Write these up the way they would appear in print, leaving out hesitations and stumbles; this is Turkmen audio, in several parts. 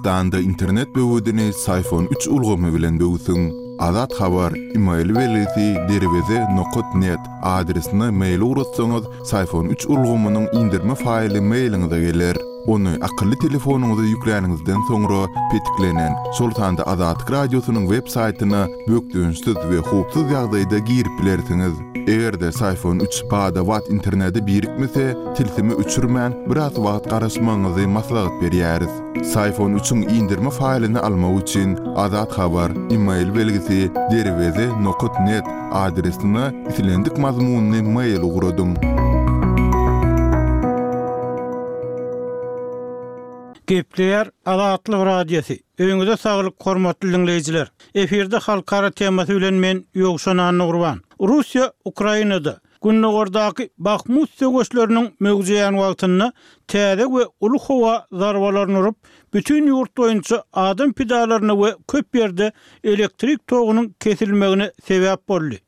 Türkmenistanda internet böwedini Syfon üç ulgamy bilen böwsüň. Azat Habar, email belgisi derweze nokat net adresine mail ugratsaňyz, Syfon üç ulgamynyň indirme faýly mailiňize geler. Ony akylly telefonyňyza ýükläniňizden soňra petiklenen, şol sanda Azatlyk Radiosynyň web saýtyna bökdençsiz we howpsuz ýagdaýda girip bilersiňiz. Eger-de Syfon üç bada-bat internete birikmese, tilsimi öçürmän, biraz wagt garaşmagyňyzy maslahat berýäris. Syfon üçiň indirme faýlyny almak üçin Azat Habar, email belgisi, derweze nokat net adresine islendik mazmunly mail ugradyň. Gepleýär Azatlyk Radiosy. Öýüňize saglyk hormatly diňleýjiler. Efirde halkara temasy bilen men Ýowşan Annagurban. Russiýa Ukrainada Gündogardaky Bahmut söweşleriniň möwjeýän wagtynda täze we uly howa zarbalaryny urup, bütin ýurt boýunça adam pidalaryna we köp ýerde elektrik togunyň kesilmegine sebäp boldy.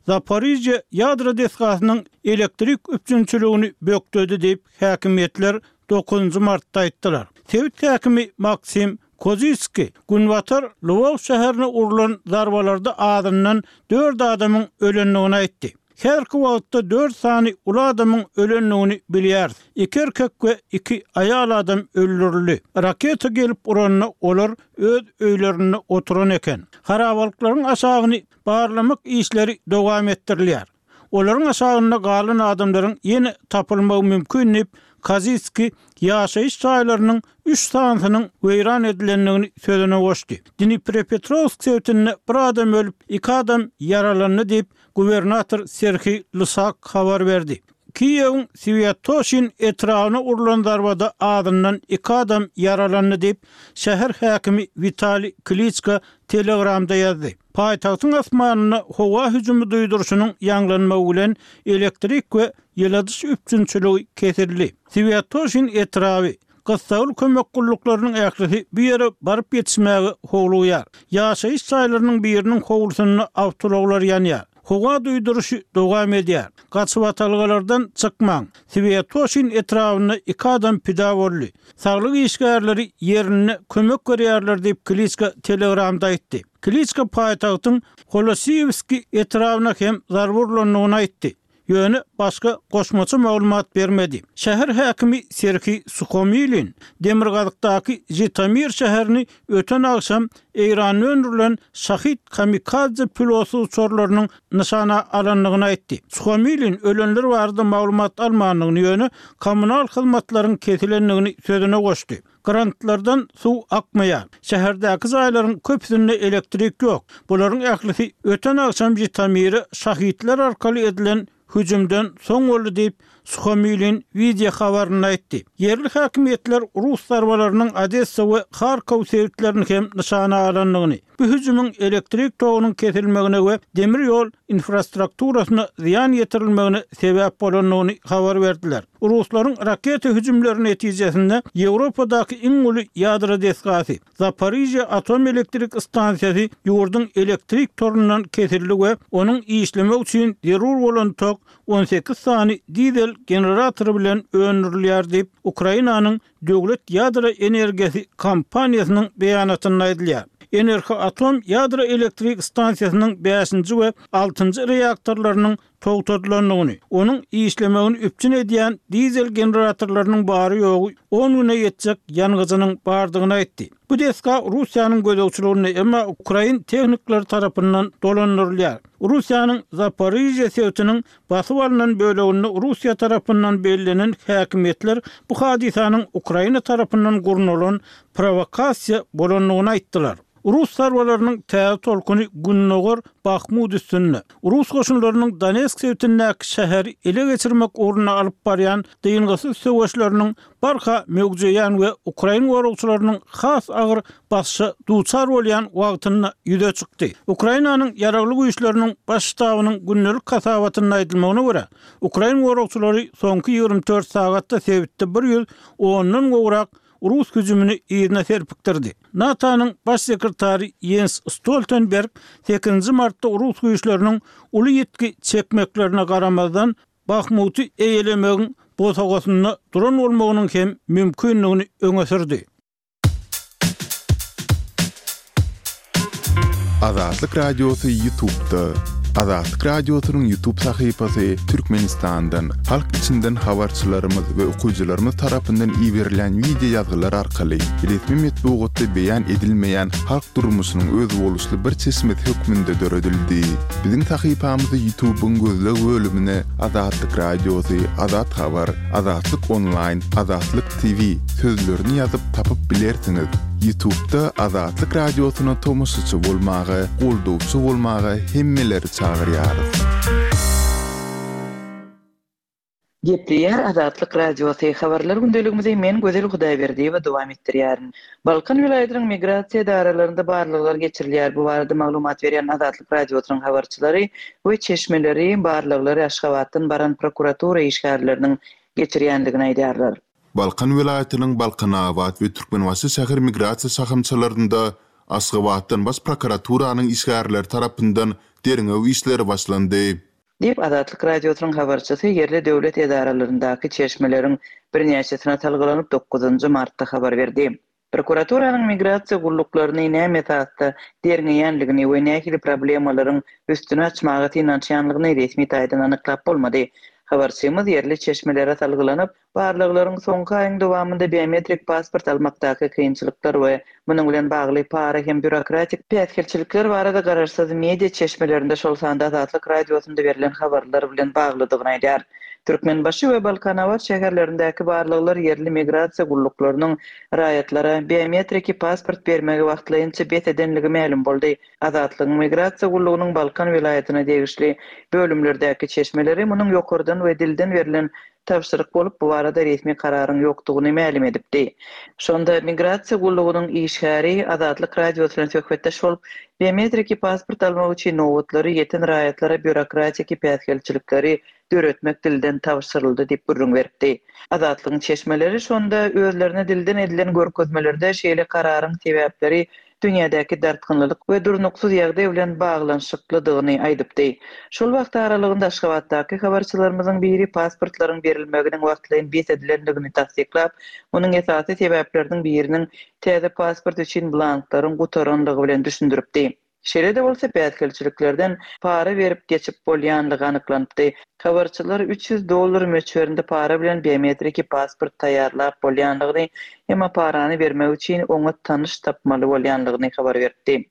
Zaporižýa ýadro desgasynyň elektrik üpjünçiligini bökdedi diýip, häkimiýetler dokuzynjy martda aýtdylar. Sebit häkimi Maksim Koziskiý günbatar Lwow şäherine urlan zarbalarda azyndan dört adamyň ölendigini aýtdy. Häzirki wagtda dört sany uly adamyň ölendigini bilýäris. Iki erkek we iki aýal adam öldürildi. Raketa gelip uranda olar öz öýlerinde oturan eken. Harabalyklaryň aşagyny barlamak işleri dowam etdirilýär. Olaryň aşagynda galan adamlaryň ýene tapylmagy mümkin diýip, Kozitskiý ýaşaýyş jaýlarynyň üç sanysynyň weýran edilendigini sözüne goşdy. Dniprepetrowsk sebitinde bir adam ölüp, iki adam ýaralandy diýip, gubernator Serhiý Lysak habar berdi. Kiýewiň Swýatoşin etrabyna urlan zarbada azyndan iki adam ýaralandy diýip, şäher häkimi Witaliý Kliçko Telegramda ýazdy. Paýtagtyň asmanynda howa hüjümi duýduryşynyň ýaňlanmagy bilen elektrik we ýyladyş üpjünçiligi kesildi. Swýatoşin etraby, gyssagly kömek gulluklarynyň ählisi bu ýere baryp ýetişmäge howlugýar. Ýaşaýyş jaýlarynyň biriniň howlusynda awtoulaglar ýanýar. Howa duýduryşy dowam edýär. Gaçybatalgalardan çykmaň. Swýatoşin etrabynda iki adam pida boldy. Saglyk işgärleri ýerinde kömek berýärler diýip, Kliçka Telegramda aýtdy. Kliçka paýtagtyň Holosiýewskiý etrabyna hem zarba urlandygyny aýtdy. Ýöne başga goşmaça maglumat bermedi. Şäher häkimi Serhiý Suhomilin demirgazykdaky Žitomir şäherini öten agşam Eýranda öndürilen Şahid kamikadze pilotsyz uçarlarynyň nyşana alandygyny aýtdy. Suhomilin ölenler barada maglumat almandygyny, ýöne kommunal hyzmatlaryň kesilendigini sözüne goşdy. Grantlardan suw akmaýar. Şäherdäki jaýlaryň köpüsinde elektrik ýok. Bularyň ählisi öten agşam Žitomire şahidler arkaly edilen hüjümden soň boldy diýip, Suhomilin wideo habarynda aýtdy. Ýerli häkimiýetler rus zarbalarynyň Odessa we Harkow sebitlerini hem nyşana alandygyny, bu hüjümiň elektrik togunyň kesilmegine we demir ýol infrastrukturasyna zyýan ýetirilmegine sebäp bolandygyny habar berdiler. Ruslaryň raketa hüjümleri netijesinde Ýewropadaky iň uly ýadro desgasy, Zaporižýa atom elektrik stansiýasy ýurduň elektrik torundan kesildi we onuň işlemegi üçin zerur bolan tok 18 sany dizel generatory bilen öndürilýär diýip, Ukrainanyň döwlet ýadro energiýasy kompaniýasynyň beýanatynda aýdylýar. Enerhoatom ýadro elektrik stansiýasynyň bäşinji we altynjy reaktorlarynyň togtadylandygyny, onuň işlemegini üpjün edýän dizel generatorlarynyň bary-ýogy on güne ýetjek ýangyjynyň bardygyny aýtdy. Bu desga Russiýanyň gözegçiliginde, emma ukrain tehnikleri tarapyndan dolandyrylýar. Russiýanyň Zaporižýa sebitiniň basyp alnan böleginde Russiýa tarapyndan bellenen häkimiýetler bu hadysanyň Ukraina tarapyndan gurnalan prowokasiýa bolandygyny aýtdylar. Rus zarbalarynyň täze tolkuny gündogar Bahmut üstünde, rus goşunlarynyň Donetsk sebitindäki şäheri ele geçirmek ugrunda alyp barýan dyngysyz söweşleriniň barha möwjeýän we ukrain goragçylarynyň has agyr basyşa duçar bolýan wagtynda ýüze çykdy. Ukrainanyň Ýaragly Güýçleriniň Baş ştabynyň gündelik hasabatynda aýdylmagyna görä, ukrain goragçylary soňky 24 sagatda sebitde bir ýüz ondan gowrak rus hüjümini yzyna serpikdirdi. NATO-nyň Baş sekretary Ýens Stoltenberg sekizinji martda rus güýçleriniň uly ýitgi çekmeklerine garamazdan, Bahmuty eýelemegiň bosagasynda duran bolmagynyň hem mümkindigini öňe sürdi. Azatlyk Radiosy Ýutubda. Azatlyk Radiosynyň Ýutub sahypasy Türkmenistandan, halk içinden habarçylarymyz we okyjylarymyz tarapyndan iberilýän wideo ýazgylar arkaly resmi metbugatda beýan edilmeýän halk durmuşynyň özboluşly bir çeşmesi hökmünde döredildi. Biziň sahypamyzy Ýutubyň gözleg bölümine Azatlyk Radiosy, Azat Habar, Azatlyk Onlaýn, Azatlyk TV sözlerini ýazyp tapyp bilersiňiz. Ýutubda Azatlyk Radiosyna tomaşaçy bolmaga, goldawçy bolmaga hemmeleri çagyrýarys. Gepleýär Azatlyk Radiosy, Habarlar gündeligimizi men Gözel Hudaýberdiýewa dowam etdirýärin. Balkan welaýatynyň migrasiýa edaralarynda barlaglar geçirilýär. Bu barada maglumat berýän Azatlyk Radiosynyň habarçylary we çeşmeleri barlaglary Aşgabatdan baran prokuratura işgärleriniň geçirýändigini aýdýarlar. Balkan welaýatynyň Balkanabat we Türkmenbaşy şäher migrasiýa şahamçalarynda Aşgabatdan Baş prokuraturanyň işgärleri tarapyndan derňew işleri başlandy. Diýip, Azatlyk Radiosynyň habarçysy ýerli döwlet edaralaryndaky çeşmeleriň birnäçesine salgylanyp, dokuzynjy martda habar berdi. Prokuraturanyň migrasiýa gulluklaryny näme esasda derňeýänligini we nähili problemalaryň üstüni açmaga synanyşýanlygyny resmi taýdan anyklap bolmady. Habarçymyz ýerli çeşmelere salgylanyp, Barlaglaryň soňky aýyň dowamynda biometrik pasport almakdaky kynçylyklar we munuň bilen bagly para hem býurokratik päsgelçilikler barada garaşsyz media çeşmelerinde, şol sanda Azatlyk Radiosynda berlen habarlar bilen baglydygyny aýdýar. Türkmenbaşy we Balkanabat şäherlerindäki barlaglar ýerli migrasiýa gulluklarynyň raýatlara biometriki pasport bermegi wagtlaýynça bes edenligi mälim boldy. Azatlygyň Migrasiýa gullugynyň Balkan welaýatyna degişli bölümlerdäki çeşmeleri munuň ýokardan we dilden berlen tabşyryk bolup, bu barada resmi kararyň ýokdugyny mälim edipdi. Şonda Migrasiýa gullugynyň işgäri Azatlyk Radiosy bilen söhbetdeş bolup, biometriki pasport almak üçin nobatlary ýeten raýatlara býurokratiki päsgelçilikleri döretmek dilden tabşyryldy diýip gürrüň beripdi. Azatlygyň çeşmeleri şonda özlerine dilden edilen görkezmelerde şeýle kararyň sebäpleri dünýädäki dartgynlylyk we durnuksyz ýagdaý bilen baglanyşyklydygyny aýdypdy. Şol wagt aralygynda Aşgabatdaky habarçylarymyzyň biri pasportlaryň berilmeginiň wagtlaýyn bes edilendigini tassyklap, munuň esasy sebäpleriniň biriniň täze pasport üçin blanklaryň gutaranlygy bilen düşündiripdi. Şeýle-de bolsa, päsgelçiliklerden para berip geçip bolýanlygy anyklanypdy. Habarçylar 300 dollar möçberinde para bilen biometriki pasport taýýarlap bolýanlygyny, emma parany bermek üçin oňa tanyş tapmaly bolýanlygyny habar beripdi.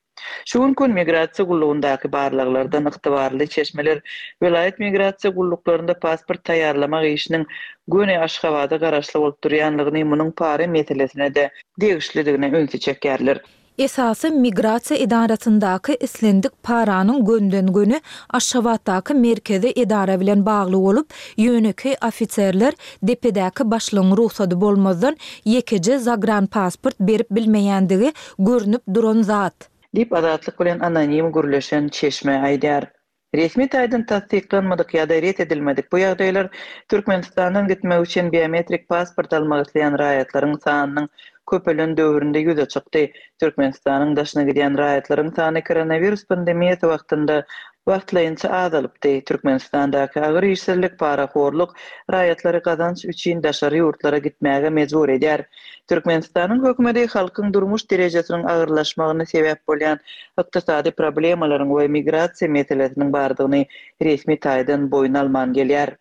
Şu günki gün migrasiýa gullugyndaky barlaglardan ygtybarly çeşmeler welaýat migrasiýa gulluklarynda pasport taýýarlamak işiniň göni Aşgabada garaşly bolup durýanlygyny, munuň para meselesine-de degişlidigine ünsi çekýärler. Esasy migrasiýa edarasyndaky islendik paranyň gönden-göni Aşgabatdaky merkezi edara bilen bagly bolup, ýönekeý ofiserler depedäki başlygyň rugsady bolmazdan ýekeje zagranpasport berip bilmeýändigi görnüp duran zat. Diýip, Azatlyk bilen anonim gürleşen çeşme aýdýar. Resmi taýdan tassyklanmadyk ýa-da ret edilmedik bu ýagdaýlar Türkmenistandan gitmek üçin biometrik pasport almak isleýän raýatlaryň sanynyň köpelen döwründe ýüze çykdy. Türkmenistanyň daşyna gidýän raýatlaryň sany koronawirus pandemiýasy wagtynda wagtlaýynça azalypdy. Türkmenistandaky agyr işsizlik, parahorluk raýatlary gazanç üçin daşary ýurtlara gitmäge mejbur edýär. Türkmenistanyň hökümeti halkyň durmuş derejesiniň agyrlaşmagyna sebäp bolýan ykdysady problemalaryň we migrasiýa meselesiniň bardygyny resmi taýdan boýun alman gelýär.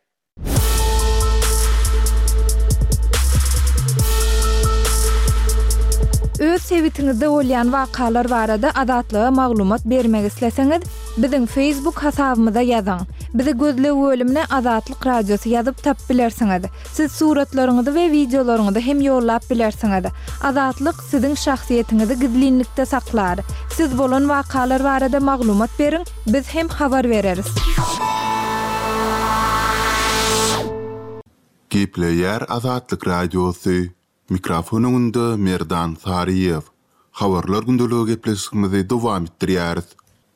Öz sebitiňizde bolýan wakalar barada Azatlyga maglumat bermek isleseňiz, biziň Facebook hasabymyza ýazyň. Bizi gözleg bölümine Azatlyk Radiosy ýazyp tapyp bilersiňiz. Siz suratlaryňyzy we wideolaryňyzy hem ýollap bilersiňiz. Azatlyk siziň şahsyýetiňizi gizlinlikde saklar. Siz bolan wakalar barada maglumat beriň, biz hem habar bereris. Gepleýär Azatlyk Radiosy, Mikrofon öňünde Merdan Saryýew. Habarlar gündeligi gepleşigimizi dowam etdirýäris.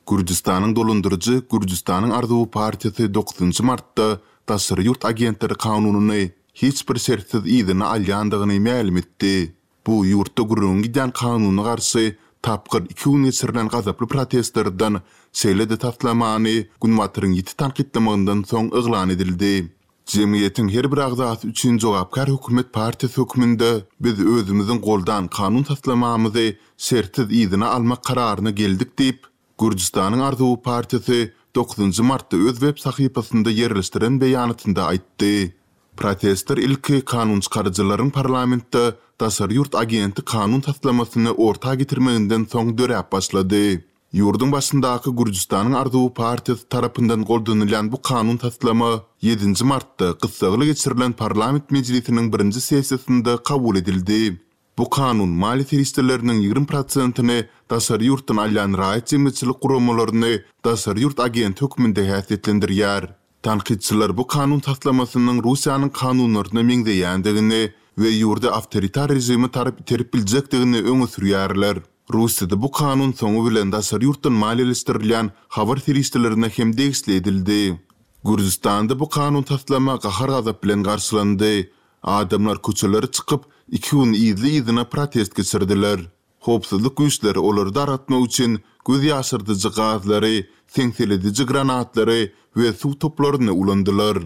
Gürjüstanyň dolandyryjy Gürjüstanyň arzuwy partiýasy dokuzynjy martda daşary ýurt agentleri kanunyny hiç bir şertsiz yzyna alýandygyny mälim etdi. Bu ýurtda gürrüňi gidýän kanuna garşy tapgyr iki gün geçirilen gazaply protestlerden, şeýle-de taslamany Günbataryň ýiti tankytlamagyndan soň yglan edildi. Jemgyýetiň her bir agzasy üçin jogapkär hökümet partiýasy hökmünde biz özümiziň goldan kanun taslamamyzy şertsiz yzyna almak kararyna geldik diýip, Gürjüstanyň Arzuwy partiýasy dokuzynjy martda öz web sahypasynda ýerleşdiren beýanatynda aýtdy. Protestler ilki kanunçykaryjylaryň parlamentde daşary ýurt agenti kanun taslamasyny orta getirmeginden soň döräp başlady. Ýurduň başyndaky Gürjüstanyň Arzuwy partiýasy tarapyndan goldanylýan bu kanun taslama ýedinji martda gyssagly geçirilen parlament mejlisiniň birinji sessiýasynda kabul edildi. Bu kanun maliýe serişdeleriniň 20 prosentini daşary ýurtdan alýan raýat jemgyýetçilik guramalaryny daşary ýurt agenti hökmünde häsiýetlendirýär. Tankytçylar bu kanun taslamasynyň Russiýanyň kanunlaryna meňzeýändigini we ýurdy awtoritar režime tarap iterip biljekdigini öňe sürýärler. Russiýada bu kanun soňy bilen daşary ýurtdan maliýeleşdirilýän habar serişdelerine hem degişli edildi. Gürjüstanda bu kanun taslama gahar-gazap bilen garşylandy. Adamlar köçelere çykyp, iki gün yzly-yzyna protest geçirdiler. Howpsuzlyk güýçleri olary dargatmak üçin göz ýaşardyjy gazlary, seňselediji granatlary we suw toplaryny ulandylar.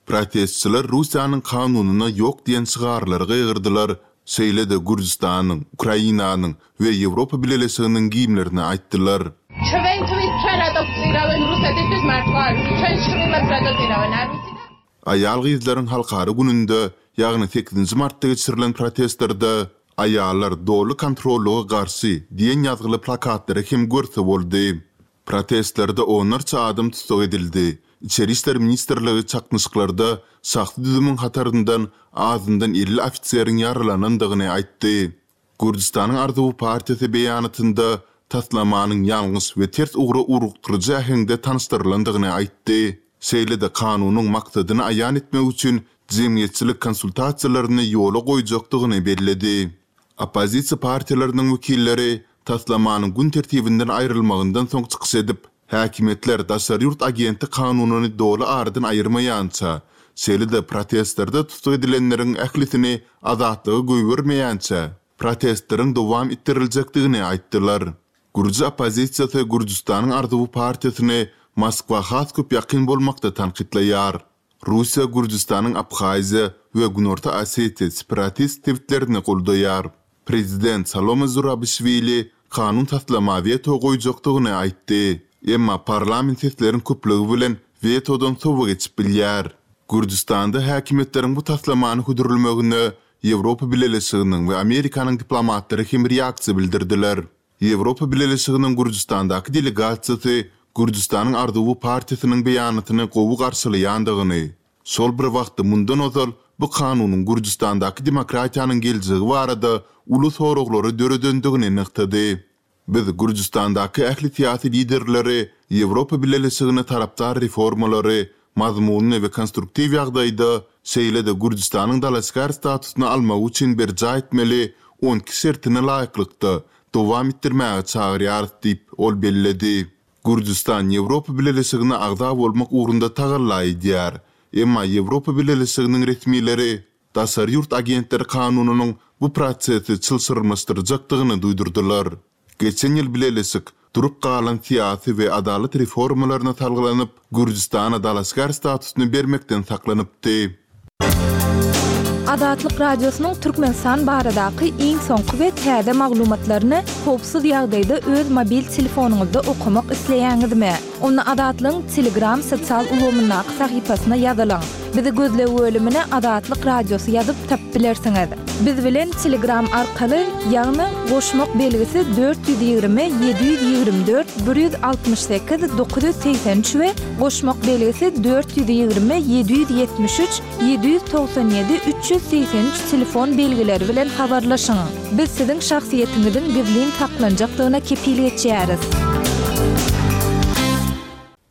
Protestçiler Russiýanyň kanunyna ýok diýen şygarlary gygyrdylar, şeýle-de Gürjüstanyň, Ukrainanyň we Ýewropa Bileleşiginiň gimnlerini aýtdylar. Aýal-gyzlaryň halkara gününde, ýagny sekizinji martda geçirilen protestlerde Aýallar doly kontrollyga garşy diýen ýazgyly plakatlary hem görse boldy. Protestlerde onlarça adam tussag edildi. Içeri işler ministrligi çaknyşyklarda şahsy düzümiň hataryndan azyndan 50 ofiseriň ýaralanandygyny aýtdy. Gürjüstanyň Arzuwy partiýasy beýanatynda taslamanyň ýalňyş we ters ugra ugrukdyryjy äheňde tanyşdyrylandygyny aýtdy. Şeýle-de kanunyň maksadyny aýan etmek üçin jemgyýetçilik konsultasiýalaryny ýola goýjakdygyny belledi. Oppozisiýa partiýalarynyň wekilleri taslamanyň gün tertibinden aýrylmagyndan soň çykyş edip, häkimiýetler daşary ýurt agenti kanunyny doly aradan aýyrmaýança, şeýle-de protestlerde tussag edilenleriň ählisini azatlyga goýbermeýänçä, protestleriň dowam etdiriljekdigini aýtdylar. Gürji oppozisiýasy Gürjüstanyň Arzuwy partiýasyny Moskwa has köp ýakyn bolmakda tankytlaýar. Russiýa Gürjüstanyň Abhaziýa we Günorta Osetiýa separatist sebitlerini goldaýar. Prezident Salome Zurabişwili kanun taslama weto goýjakdygyny aýtdy. Emma parlament sesleriň köplügi bilen wetodan sowa geçip bilýär. Gürjüstanda häkimiýetleriň bu taslamany hödürlemegine Ýewropa Bileleşiginiň we Amerikanyň diplomatlary hem reaksiýa bildirdiler. Ýewropa Bileleşiginiň Gürjüstandaky delegasiýasy Gürjüstanyň Arzuwy partiýasynyň beýanatyny gowy garşylaýandygyny, şol bir wagtda mundan ozal bu kanunyň Gürjüstandaky demokratiýanyň geljegi barada uly soraglary döredendigini nygtady. Biz Gürjüstandaky ähli syýasy liderleri Ýewropa Bileleşigine tarapdar reformalary mazmunly we konstruktiw ýagdaýda, şeýle-de Gürjüstanyň dalaşgär statusyny almagy üçin berjaý etmeli on iki şertine laýyklykda dowam etdirmäge çagyrýarys diýip, ol belledi. Gürjüstan Ýewropa Bileleşigine agza bolmak ugrunda tagalla edýär. Emma Ýewropa Bileleşiginiň resmileri daşary ýurt agentleri kanunynyň bu prosesi çylşyrymlaşdyrjakdygyny duýdurdylar. Geçen ýyl bileleşik, durup galan syýasy we adalat reformalaryna salgylanyp, Gürjüstana dalaşgär statusyny bermekden saklanypdy. Azatlyk Radiosynyň Türkmenistan baradaky iň soňky we täze maglumatlaryny howpsuz ýagdaýda öz mobil telefonyňyzda okamak isleýäňizmi? Onda Azatlygyň Telegram sosial ulgamyndaky sahypasyna ýazylyň. Bizi gözleg bölümine Azatlyk Radiosy ýazyp tapyp bilersiňiz. Biz bilen Telegram arkaly, ýagny goşmak belgisi 420 724 168 983 we goşmak belgisi 420 773 797 383 telefon belgileri bilen habarlaşyň. Biz siziň şahsyýetiňiziň gizlin saklanjakdygyna kepil geçýäris.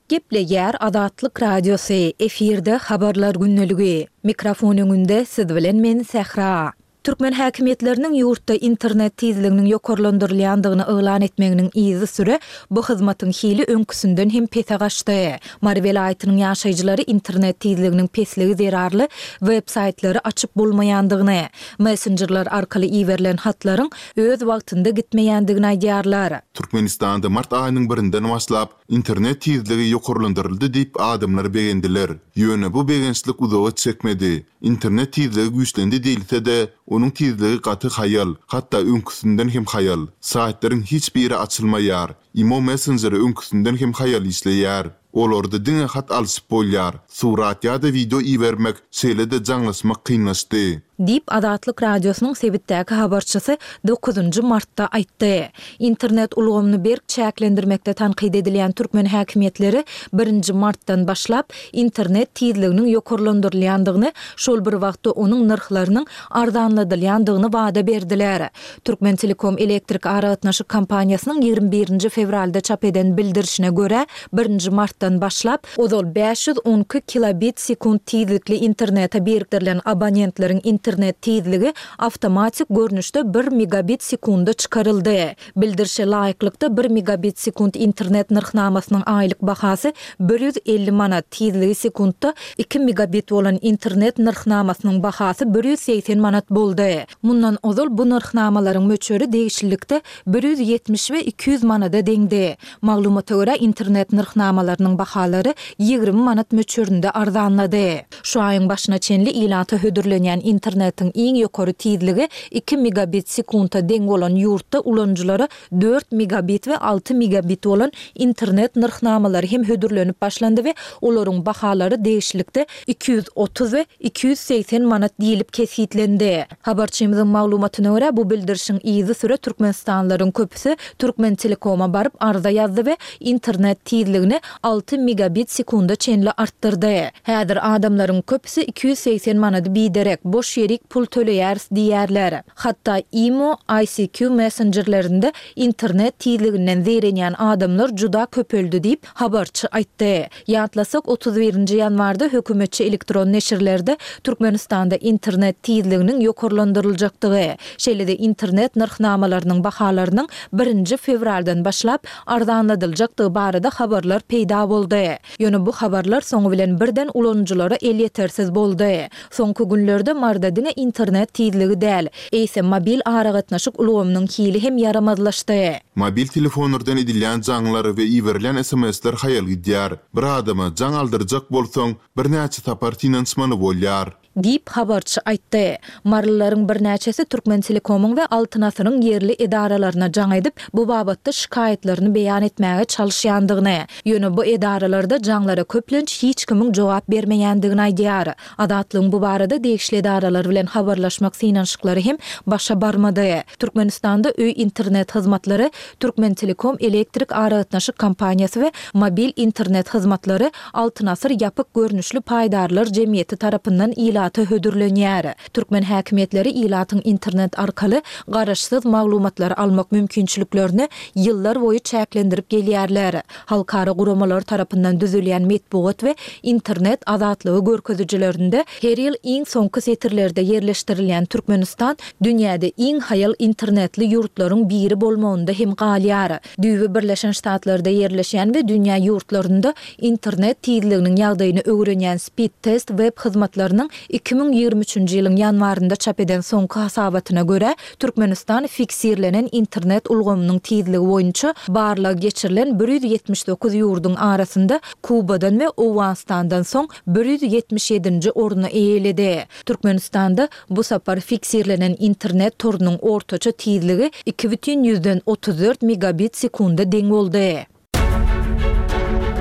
Gepleýär Azatlyk Radiosy, efirde Habarlar gündeligi. Mikrofon öňünde siz bilen men Sähra. Türkmen häkimiýetleriniň ýurtda internet tizliginiň ýokarlandyrylýandygyny yglan etmeginiň yzysüre bu hyzmatyň hili öňküsinden hem pese gaçdy. Mary welaýatynyň ýaşaýjylary internet tizliginiň pesligi zerarly web saýtlary açyp bolmaýandygyny, messenjerler arkaly iberilen hatlaryň öz wagtynda gitmeýändigini aýdýarlar. Türkmenistanda mart aýynyň birinden başlap, Internet tizligi ýokarlandyryldy diýip adamlar begendiler. Ýöne bu begençlik uzaga çekmedi. Internet tizligi güýçlendi diýilse-de, Onuň tizligi gaty haýal, hatda öňküsinden hem haýal. Saýtlaryň hiç biri açylmaýar. Imo messenjeri öňküsinden hem haýal işleýär. Olarda diňe hat alşyp bolýar, surat ýa-da wideo ibermek, şeýle-de jaňlaşmak kynlaşdy. Diýip, Azatlyk Radiosynyň sebitdäki habarçysy dokuzynjy martda aýtdy. Internet ulgamyny berk çäklendirmekde tankyt edilýän türkmen häkimiýetleri birinji martdan başlap, internet tizliginiň ýokarlandyrylýandygyny, şol bir wagtda onuň nyrhlarynyň arzanladylýandygyny wada berdiler. Türkmentelekom elektrik aragatnaşyk kompaniýasynyň 21 nji fewralda çap eden bildirişine görä, birinji martdan başlap, ozal 512 kilobit sekunt tizlikli internete birikdirilen abonentleriň internet tizligi awtomatik görnüşde bir megabit sekunda çykaryldy. Bildirişe laýyklykda, bir megabit sekunt internet nyrhnamasynyň aýlyk bahasy 150 manat, tizligi sekuntda iki megabit bolan internet nyrhnamasynyň bahasy 180 manat boldy. Mundan ozal bu nyrhnamalaryň möçberi degişlilikde 170 we 200 manada deňdi. Maglumata görä, internet nyrhnamalarynyň bahalary 20 manat möçberinde arzanlady. Şu aýyň başyna çenli ilata hödürlenýän internetiň iň ýokary tizligi iki megabit sekunta deň bolan ýurtda ulanyjylara dört megabit we alty megabit bolan internet nyrhnamalary hem hödürlenip başlandy we olaryň bahalary degişlilikde 230 we 280 manat diýlip kesgitlendi. Habarçymyzyň maglumatyna görä, bu bildirişiň yzysüre türkmenistanlylaryň köpüsi Türkmentelekoma baryp arza ýazdy we internet tizligini alty megabit sekunda çenli artdyrdy. Häzir adamlaryň köpüsi 280 manady biderek, boş ýerik pul töleýäris diýýärler. Hatda imo, ICQ messenjerlerinde internet tizliginden zeýrenýän adamlar juda köpeldi diýip, habarçy aýtdy. Ýatlasak, 31 nji ýanwarda hökümetçi elektron neşirlerde Türkmenistanda internet tizliginiň ýokarlandyryljakdygy, şeýle-de internet nyrhnamalarynyň bahalarynyň birinji fewraldan başlap arzanladyljakdygy barada habarlar peýda boldy. Ýöne bu habarlar soňy bilen birden ulanyjylara elýetersiz boldy. Soňky günlerde Maryda diňe internet tizligi däl, eýsem mobil aragatnaşyk ulgamynyň hili hem ýaramazlaşdy. Mobil telefonlardan edilýän jaňlar we iberilýän sms-ler haýal gidýär. Bir adama jaň aldyrjak bolsaň, birnäçe sapar synanyşmaly bolýar. Diýip, habarçy aýtdy. Marylylaryň birnäçesi Türkmentelekomyň we Altyn asyryň ýerli edaralaryna jaň edip, bu babatda şikaýatlaryny beýan etmäge çalyşýandygyny, ýöne bu edaralarda jaňlara köplenç hiç kimiň jogap bermeýändigini aýdýar. Azatlygyň bu barada degişli edaralar bilen habarlaşmak synanyşyklary hem başa barmady. Türkmenistanda öý internet hyzmatlary Türkmentelekom elektrik aragatnaşyk kompaniýasy we mobil internet hyzmatlary Altyn asyr ýapyk görnüşli paýdarlar jemgyýeti tarapyndan ilata hödürlenýär. Türkmen häkimiýetleri ilatyň internet arkaly garaşsyz maglumatlary almak mümkinçiliklerini ýyllar boýy çäklendirip gelýärler. Halkara guramalary tarapyndan düzülýän metbugat we internet azatlygy görkezijilerinde her ýyl iň soňky setirlerde ýerleşdirilýän Türkmenistan dünýäde iň haýal internetli ýurtlaryň biri bolmagynda hem galýar. Düýbi Birleşen Ştatlarda ýerleşýän we dünýä ýurtlarynda internet tizliginiň ýagdaýyny öwrenýän Speedtest web hyzmatlarynyň 2023-nji ýylyň ýanwarynda çap eden soňky hasabatyna görä, Türkmenistan fiksirlenen internet ulgamynyň tizligi boýunça barlag geçirilen 179 ýurduň arasynda Kubadan we Owganystandan soň 177-nji orny eýeledi. Türkmenistanda Bu sapar fiksirlenen internet torunyň ortaça tizligi 2,34 megabit sekunda deň boldy.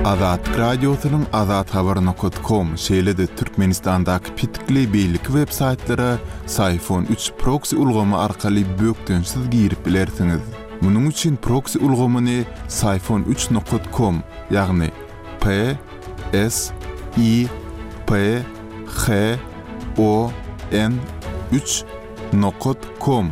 Azatlyk Radiosynyň azathabar nokat kom, şeýle-de Türkmenistandaky petikli beýleki web saýtlara Syfon 3 proksi ulgamy arkaly bökdençsiz girip bilersiňiz. Munuň üçin proksi ulgamyny Syfon 3 nokat kom, ýagny P S I P H O N 3 nokat kom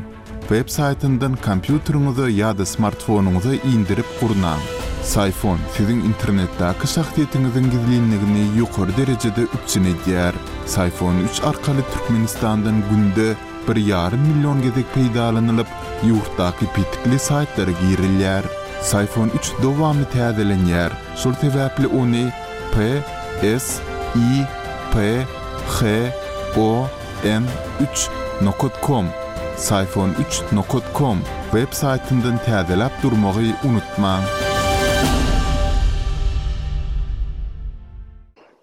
web saýtyndan kompýuteriňize ýa-da smartfonyňyza indirip gurnaň. Syfon siziň internetdäki şahsyýetiňiziň gizlinligini ýokary derejede üpjün edýär. Syfon 3 arkaly Türkmenistandan günde bir ýarym million gezek peýdalanylyp, ýurtdaky petikli saýtlara girilýär. Syfon 3 dowamly täzelenýär, şol sebäpli ony P S I P H O N 3 nokat kom, Syfon 3 nokat kom, web saýtyndan täzeläp durmagy unutmaň.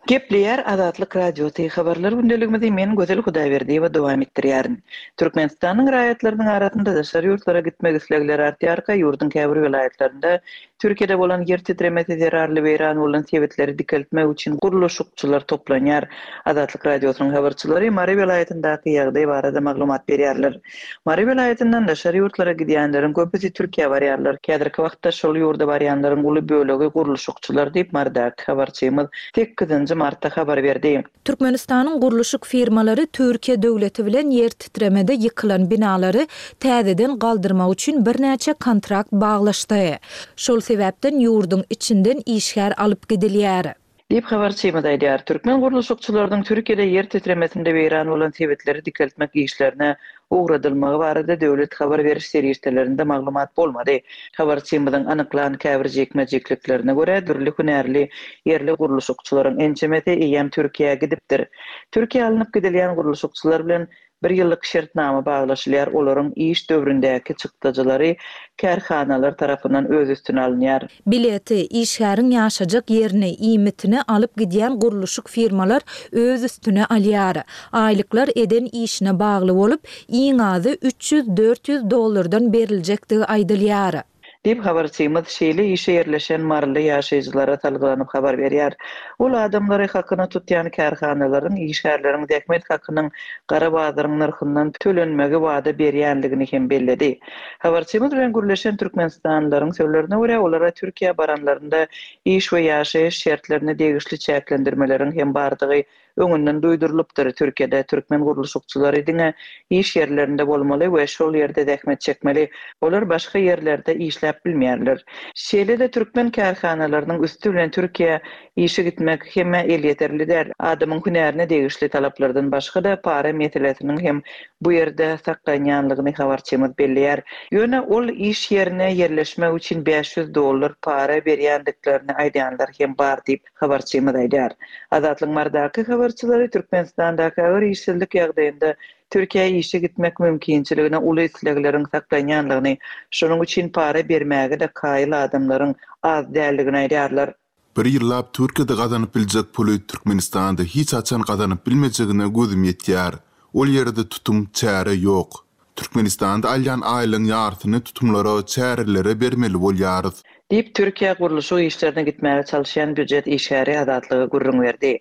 Gepleýär Azatlyk Radiosy, Habarlar gündeligimizi men Gözel Hudaýberdiýewa dowam etdirýärin. Türkmenistanyň raýatlarynyň arasynda daşary ýurtlara gitmek islegleri artýarka, ýurduň käbir welaýatlarynda Türkiýede bolan ýer titremesi zerarly weýran bolan sebitleri dikeltmek üçin gurluşykçylar toplanýar. Azatlyk Radiosynyň habarçylary Mary welaýatyndaky ýagdaý barada maglumat berýärler. Mary welaýatyndan daşary ýurtlara gidýänleriň köpüsi Türkiýä barýarlar. Häzirki wagtda şol ýurda barýanlaryň uly bölegi gurluşykçylar diýip, Marydaky habarçymyz sekizinji martda habar berdi. Türkmenistanyň gurluşyk firmalary Türkiýe döwleti bilen ýer titremede ýykylan binalary täzeden galdyrmak üçin birnäçe kontrakt baglaşdy. Şol sebäpden ýurduň içinden işgär alyp gidilýär. Diýip, habarçymyz aýdýar. Türkmen gurluşykçylarynyň Türkiýede ýer titremesinde weýran bolan sebitleri dikeltmek işlerine ugradylmagy barada döwlet habar beriş serişdelerinde maglumat bolmady. Habarçymyzyň anyklan käbir jikme-jikliklerine görä, dürli hünärli ýerli gurluşykçylaryň ençemesi eýýäm Türkiýä gidipdir. Türkiýä alnyp gidilýän gurluşykçylar bilen Bir ýyllyk şertnama baglaşylýar, olaryň iş döwründäki çykdajylary kärhanalar tarapyndan öz üstüne alynýar. Bileti, işgäriň ýaşajak ýerini, iýmitini alyp gidýän gurluşyk firmalar öz üstüne alýar. Aýlyklar eden işine bagly bolup, iň azy 300-400 dollardan beriljekdigi aýdylýar. Diýip, habarçymyz şeýle işe ýerleşen maryly ýaşaýjylara salgylanyp habar berýär. Ol adamlary hakyna tutýan kärhanalaryň işgärleriň zähmet hakynyň gara bazaryň nyrhyndan tölenmegi wada berýänligini hem belledi. Habarçymyz bilen gürleşen türkmenistanlylaryň sözlerine görä, olara Türkiýä baranlarynda iş we ýaşaýyş şertlerine degişli çäklendirmeleriň hem bardygy Öňünden duýdurylypdyr, Türkiýede türkmen gurluşykçylary diňe iş ýerlerinde bolmaly we şol ýerde zähmet çekmeli. Olar başga ýerlerde işläp bilmeýärler. Şeýle-de türkmen kärhanalarynyň üsti bilen Türkiýä işe gitmek hemmä elýeterli däl. Adamyň hünärine degişli talaplardan başga-da para meselesiniň hem bu ýerde saklanýanlygyny habarçymyz belleýär. Ýöne ol iş ýerine ýerleşmek üçin 500 dollar para berýändiklerini aýdýanlar hem bar diýip, Habarçymyz aýdýar. Azatlygyň Marydaky habarçylary Türkmenistandaky agyr işsizlik ýagdaýynda Türkiýä işe gitmek mümkinçiligine uly islegleriň saklanýanlygyny, şonuň üçin para bermäge-de kaýyl adamlaryň az däldigini aýdýarlar. Bir ýyllap Türkiýede gazanyp biljek puly Türkmenistanda hiç haçan gazanyp bilmejegine gözüm ýetýär. Ol ýerde tutum, çäre ýok. Türkmenistanda alýan aýlygyň ýarsyny tutumlara, çärelere bermeli bolýarys. Diýip, Türkiýä gurluşyk işlerine gitmäge çalyşýan býujet işgäri Azatlyga gürrüň berdi.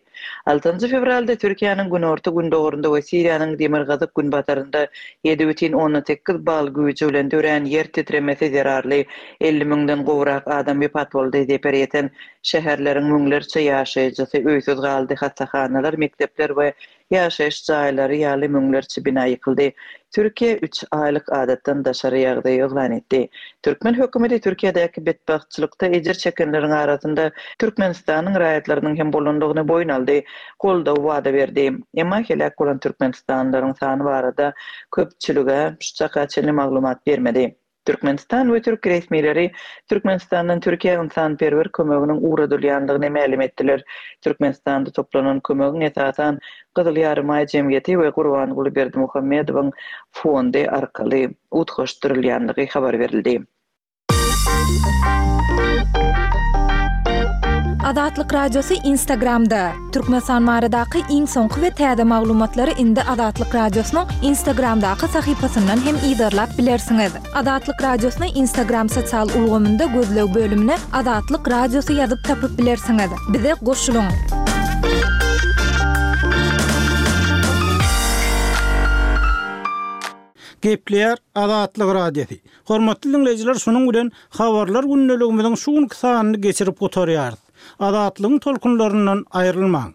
Altynjy fewralda Türkiýäniň günorta-gündogarynda we Siriýanyň demirgazyk-günbatarynda 7,8 bal güýji bilen dörän ýer titremesi zerarly 50 müňden gowrak adam wepat boldy, zeper ýeten şäherleriň müňlerçe ýaşaýjysy öýsüz galdy, hassahanalar, mekdepler we Ýaşaýyş jaýlary ýaly müňlerçe bina ýykyldy. Türkiýe üç aýlyk adatdan daşary ýagdaý yglan etdi. Türkmen hökümeti Türkiýedäki betbagtçylykda ejir çekenleriň arasynda Türkmenistanyň raýatlarynyň hem bolandygyny boýun aldy, goldaw wada berdi. Emma heläk bolan türkmenistanlylaryň sany barada köpçülige şu çaka çenli maglumat bermedi. Türkmenistan we türk resmileri Türkmenistandan Türkiýä ynsanperwer kömeginiň ugradylýandygyny mälim etdiler. Türkmenistanda toplanan kömegiň esasan Gyzyl Ýarymaý jemgyýeti we Gurbanguly Berdimuhamedowyň fondy arkaly utgaşdyrylýandygy habar berildi. Azatlyk Radiosy Instagramda, Türkmenistan baradaky iň soňky we täze maglumatlary indi Azatlyk Radiosynyň Instagramdaky sahypasyndan hem yzarlap bilersiňiz. Azatlyk Radiosyny Instagram sosial ulgamynda gözleg bölümine Azatlyk Radiosy ýazyp tapyp bilersiňiz. Bize goşulyň! Gepleýär Azatlyk Radiosy. Hormatly diňleýjiler şunuň bilen Habarlar gündeligimiziň şu günki sanyny geçirip gutarýarys. Azatlygyň tolkunlaryndan aýrylmaň!